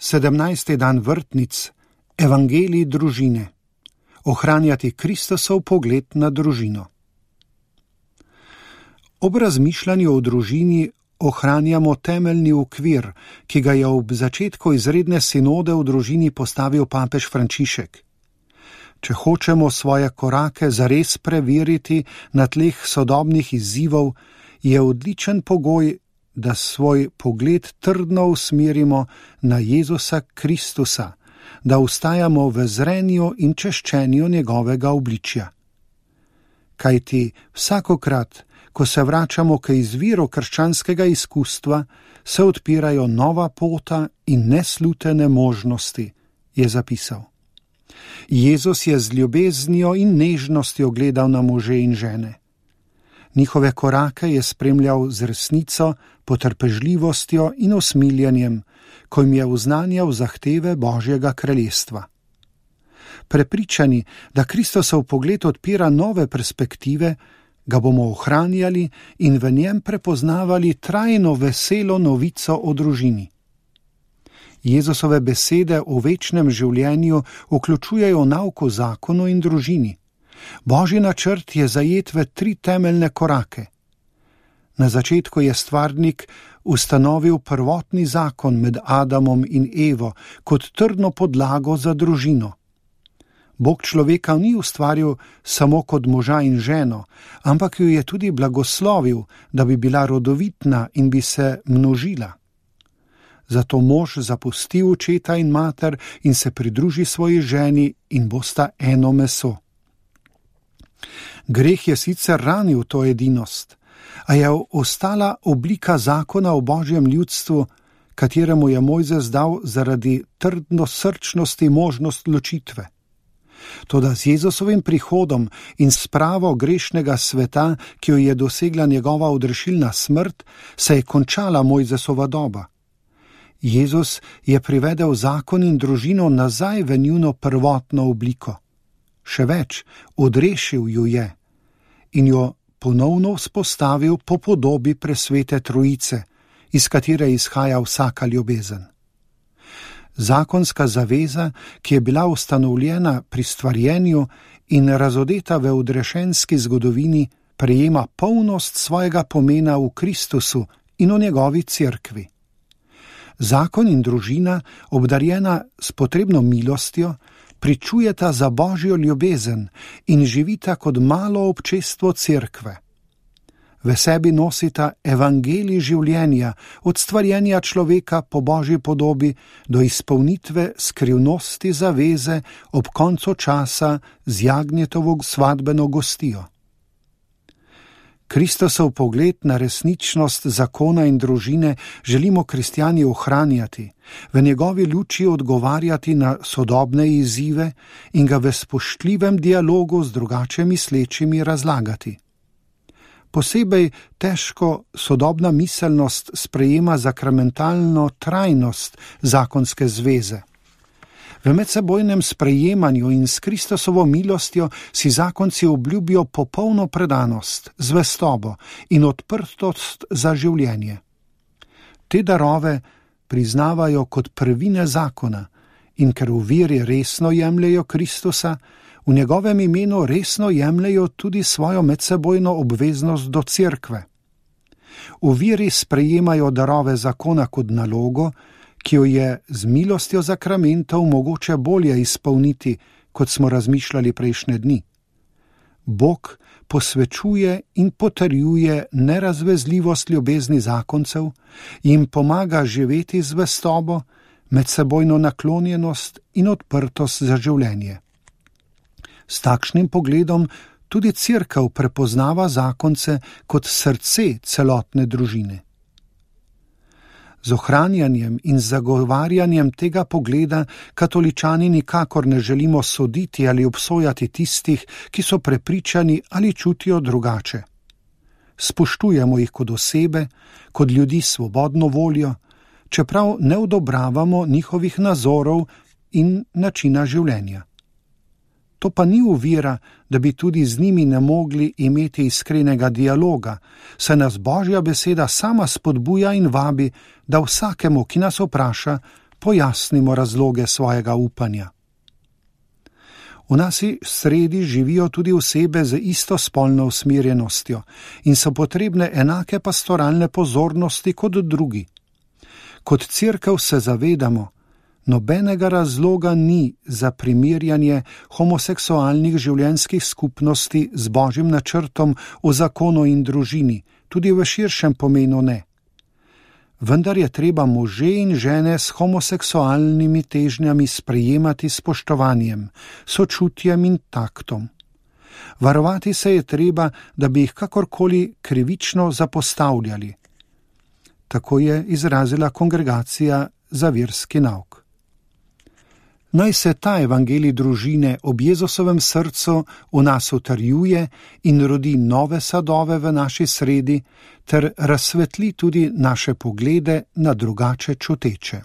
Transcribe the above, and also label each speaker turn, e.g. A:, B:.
A: 17. dan vrtnic, evangelij družine. Ohranjati Kristusov pogled na družino. Ob razmišljanju o družini ohranjamo temeljni okvir, ki ga je ob začetku izredne sinode v družini postavil papež Frančišek. Če hočemo svoje korake zares preveriti na tleh sodobnih izzivov, je odličen pogoj, da svoj pogled trdno usmerimo na Jezusa Kristusa, da ustajamo v zrenju in češčenju njegovega obličja. Kajti vsakokrat, ko se vračamo k izviru krščanskega izkustva, se odpirajo nova pota in neslutene možnosti, je zapisal. Jezus je z ljubeznijo in nežnostjo gledal na može in žene. Njihove korake je spremljal z resnico, potrpežljivostjo in usmiljenjem, ko jim je oznanjal zahteve Božjega kraljestva. Prepričani, da Kristusov pogled odpira nove perspektive, ga bomo ohranjali in v njem prepoznavali trajno veselo novico o družini. Jezusove besede o večnem življenju vključujejo nauk o zakonu in družini. Božji načrt je zajet v 3 temeljne korake. Na začetku je stvarnik ustanovil prvotni zakon med Adamom in Evo kot trdno podlago za družino. Bog človeka ni ustvaril samo kot moža in ženo, ampak jo je tudi blagoslovil, da bi bila rodovitna in bi se množila. Zato mož zapusti očeta in mater in se pridruži svoji ženi in bosta eno meso. Greh je sicer ranil to edinost, a je ostala oblika zakona o Božjem ljudstvu, kateremu je Mojzes dal zaradi trdnosrčnosti možnost ločitve. Toda z Jezusovim prihodom in spravo grešnega sveta, ki jo je dosegla njegova odrešilna smrt, se je končala Mojzesova doba. Jezus je privedel zakon in družino nazaj v njuno prvotno obliko. Še več, odrešil ju je in jo ponovno vzpostavil po podobi presvete trojice, iz katere izhaja vsaka ljubezen. Zakonska zaveza, ki je bila ustanovljena pri stvarjenju in razodeta v odrešenski zgodovini, prejema polnost svojega pomena v Kristusu in v njegovi cerkvi. Zakon in družina, obdarjena s potrebno milostjo, pričujeta za Božjo ljubezen in živita kot malo občestvo cerkve. V sebi nosita evangelij življenja, od stvarjenja človeka po Božji podobi do izpolnitve skrivnosti zaveze ob koncu časa z Jagnjetovo svadbeno gostijo. Kristusov pogled na resničnost zakona in družine želimo kristjani ohranjati, v njegovi luči odgovarjati na sodobne izzive in ga v spoštljivem dialogu z drugače mislečimi razlagati. Posebej težko sodobna miselnost sprejema sakramentalno trajnost zakonske zveze. V medsebojnem sprejemanju in s Kristusovo milostjo si zakonci obljubijo popolno predanost, zvestobo in odprtost za življenje. Te darove priznavajo kot prvine zakona in ker v veri resno jemljejo Kristusa, v njegovem imenu resno jemljejo tudi svojo medsebojno obveznost do cerkve. V veri sprejemajo darove zakona kot nalogo, ki jo je z milostjo zakramentov mogoče bolje izpolniti, kot smo razmišljali prejšnje dni. Bog posvečuje in potrjuje nerazvezljivost ljubezni zakoncev, jim pomaga živeti zvestobo, medsebojno naklonjenost in odprtost za življenje. S takšnim pogledom tudi cerkev prepoznava zakonce kot srce celotne družine. Z ohranjanjem in zagovarjanjem tega pogleda katoličani nikakor ne želimo soditi ali obsojati tistih, ki so prepričani ali čutijo drugače. Spoštujemo jih kot osebe, kot ljudi s svobodno voljo, čeprav ne odobravamo njihovih nazorov in načina življenja. To pa ni ovira, da bi tudi z njimi ne mogli imeti iskrenega dialoga, saj nas Božja beseda sama spodbuja in vabi, da vsakemu, ki nas vpraša, pojasnimo razloge svojega upanja. V naši sredi živijo tudi osebe z istospolno usmerjenostjo in so potrebne enake pastoralne pozornosti kot drugi. Kot cerkev se zavedamo, nobenega razloga ni za primerjanje homoseksualnih življenjskih skupnosti z Božjim načrtom o zakonu in družini, tudi v širšem pomenu ne. Vendar je treba može in žene s homoseksualnimi težnjami sprejemati s spoštovanjem, sočutjem in taktom. Varovati se je treba, da bi jih kakorkoli krivično zapostavljali. Tako je izrazila Kongregacija za verski nauk. Naj se ta evangelij družine ob Jezusovem srcu v nas utrjuje in rodi nove sadove v naši sredi ter razsvetli tudi naše poglede na drugače čuteče.